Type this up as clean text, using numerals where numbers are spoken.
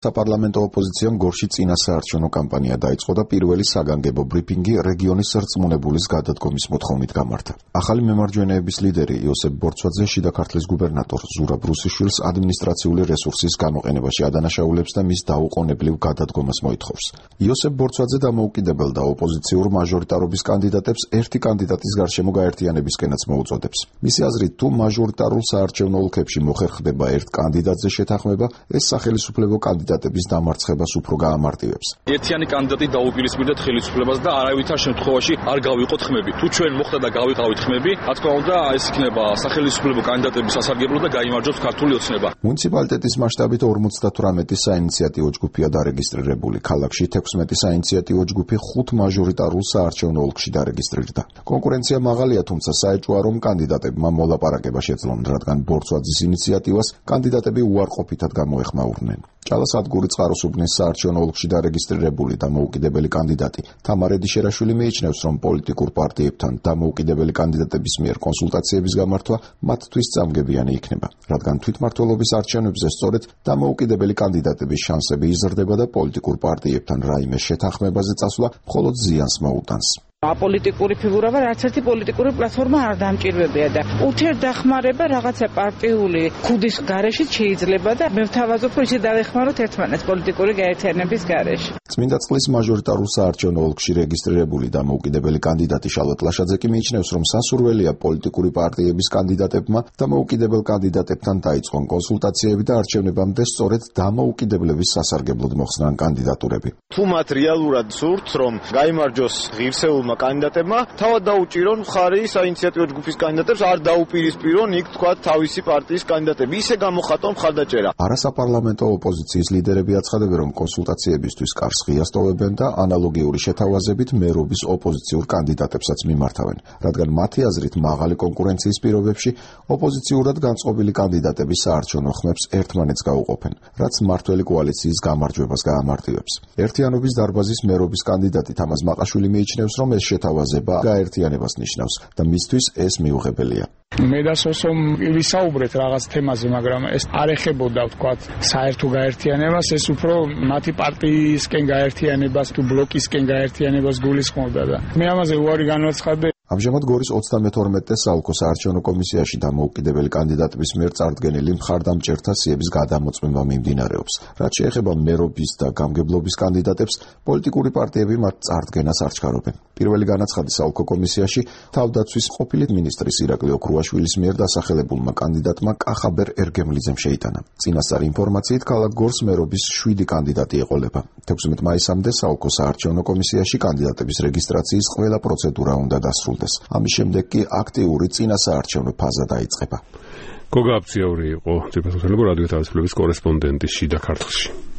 საპარლამენტო ოპოზიციამ გორში წინა საარჩევნო კამპანია დაიწყო და პირველი საგანგებო ბრიფინგი რეგიონის რწმუნებულის გადადგომის მოთხოვნით გამართა. ახალი მემარჯვენეების ლიდერი იოსებ ბორცვაძე შიდა ქართლის გუბერნატორ ზურაბ რუსიშვილს ადმინისტრაციული რესურსის გამოყენებაში ადანაშაულებს და მის დაუყოვნებლივ გადადგომას მოითხოვს. იოსებ ბორცვაძე დამოუკიდებელ და ოპოზიციურ მაჟორიტარობის კანდიდატებს ერთი კანდიდატის გარშემო გაერთიანებისკენაც მოუწოდებს. მისი აზრით, თუ მაჟორიტარულ საარჩევნო ოლქებში მოხერხდება ერთ კანდიდატზე შეთანხმება, ეს სახელისუფლებო კანდიდატების დამარცხებას უფრო გაამარტივებს. ერთიანი კანდიდატი დაუპირისპირდეთ ხელისუფლებას და არავითარ შემთხვევაში არ გავიყოთ ხმები. თუ ჩვენ მოხდა და გავიყავით ხმები, რა თქმა უნდა, ეს იქნება სახელისუფლებო კანდიდატების სასარგებლო და გაიმარჯვოს ქართული ოცნება. მუნიციპალიტეტის მასშტაბით 58 საინიციატივო ჯგუფია დარეგისტრირებული. ქალაქში 16 საინიციატივო ჯგუფი 5 მაჟორიტარულ საარჩევნო ოლქში დარეგისტრირდა. კონკურენცია მაღალია, თუმცა საეჭვოა, რომ კანდიდატებმა მოლაპარაკება შეძლონ, რადგან ბორცვაძის ინიციატივას კანდიდატები უარყოფითად გამოეხმაურნენ. ჭალასადგური წყაროსუბნის საარჩევნო ოლქში დარეგისტრირებული დამოუკიდებელი კანდიდატი თამარ ედიშერაშვილი მიიჩნევს, რომ პოლიტიკურ პარტიებთან დამოუკიდებელი კანდიდატების მიერ კონსულტაციების გამართვა მათთვის წამგებიანი იქნება, რადგან თვითმმართველობის არჩევნებზე სწორედ დამოუკიდებელი კანდიდატების შანსები იზრდება და პოლიტიკურ პარტიებთან რაიმე შეთანხმებაზე წასვლა მხოლოდ ზიანს მოუტანს. აპოლიტიკური ფიგურა ვარ, არც ერთი პოლიტიკური პლატფორმა არ დამჭირვებია და ურთიერთდახმარება რაღაცა პარტიული ქუდის გარეშე შეიძლება და მე ვთავაზობ, რომ ისე დავეხმაროთ ერთმანეთს პოლიტიკური გაერთიანების გარეშე. წმინდა წყლის მაჟორიტარულ საარჩევნო ოლქში რეგისტრირებული დამოუკიდებელი კანდიდატი შალვა ტლაშაძე კი მიიჩნევს, რომ სასურველია პოლიტიკური პარტიების კანდიდატებმა დამოუკიდებელ კანდიდატებთან დაიწყონ კონსულტაციები და არჩევნებამდე სწორედ დამოუკიდებლების სასარგებლოდ მოხსნან კანდიდატურები. თუ მათ რეალურად სურთ, რომ გაიმარჯვოს ღირსეულმა კანდიდატებმა, თავად დაუჭირონ მხარი საინიციატივო ჯგუფის კანდიდატებს, არ დაუპირისპირონ იქ თქვა თავისი პარტიის კანდიდატები, ისე გამოხატონ მხარდაჭერა. არასაპარლამენტო ოპოზიციის ლიდერები აცხადებენ, რომ კონსულტაციებისთვის კარს ღიას ტოვებენ და ანალოგიური შეთავაზებით მერობის ოპოზიციურ კანდიდატებსაც მიმართავენ, რადგან მათი აზრით მაღალი კონკურენციის პირობებში ოპოზიციურად განწყობილი კანდიდატები საარჩევნო ხმებს ერთმანეთს გაუყოფენ, რაც მმართველი კოალიციის გამარჯვებას გაამარტივებს. ერთიანობის დარბაზის მერობის კანდიდატი თამაზ მაყაშვილი მიიჩნევს, რომ ეს შეთავაზება გაერთიანებას ნიშნავს და მისთვის ეს მიუღებელია. მე და სოსომ ვისაუბრეთ რაღაც თემაზე, მაგრამ ეს არ ეხებოდა ვთქვათ საერთო გაერთიანებას, ეს უფრო მათი პარტიისკენ გაერთიანებას თუ ბლოკისკენ გაერთიანებას გულისხმობდა და მე ამაზე უარი განვაცხადე. ამჟამად გორის 32 საოლქო საარჩევნო კომისიაში დამოუკიდებელი კანდიდატების მიერ წარდგენილი მხარდამჭერთა სიების გადამოწმება მიმდინარეობს. რაც შეეხება მერობის და გამგებლობის კანდიდატებს, პოლიტიკური პარტიები მათ წარდგენას არ ჩქარობენ. პირველი განაცხადი საოლქო კომისიაში თავდაცვის ყოფილი მინისტრის ირაკლი ოქრუაშვილის მიერ დასახელებულმა კანდიდატმა კახაბერ ერგემლიძემ შეიტანა. წინასწარი ინფორმაციით, ქალაქ გორს მერობის 7 კანდიდატი ეყოლება. 16 მაისამდე საოლქო საარჩევნო კომისიაში კანდიდატების რეგისტრაციის ყველა პროცედურა უნდა დასრულდეს. ამის შემდეგ კი აქტიური წინასაარჩევნო ფაზა დაიწყება. გოგა აფციაური იყო ძირფასო რადიო თავისუფლების კორესპონდენტი შიდა ქართლში.